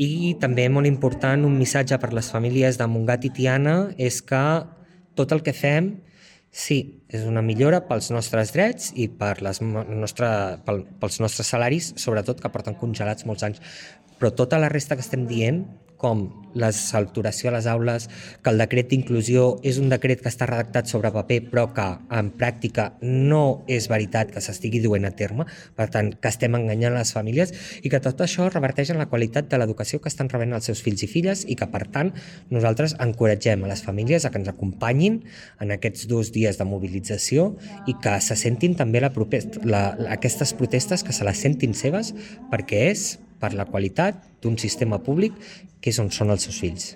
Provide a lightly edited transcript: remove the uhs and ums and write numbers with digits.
I també molt important, un missatge per les famílies de Montgat i Tiana és que tot el que fem, sí, és una millora pels nostres drets i pels nostres salaris, sobretot que porten congelats molts anys, però tota la resta que estem dient, com la saturació a les aules, que el decret d'inclusió és un decret que està redactat sobre paper però que en pràctica no és veritat que s'estigui duent a terme, per tant que estem enganyant les famílies i que tot això reverteix en la qualitat de l'educació que estan rebent els seus fills i filles i que per tant nosaltres encoratgem a les famílies a que ens acompanyin en aquests 2 dies de mobilització i que se sentin també aquestes protestes, que se les sentin seves perquè és per la qualitat d'un sistema públic que és on són els seus fills.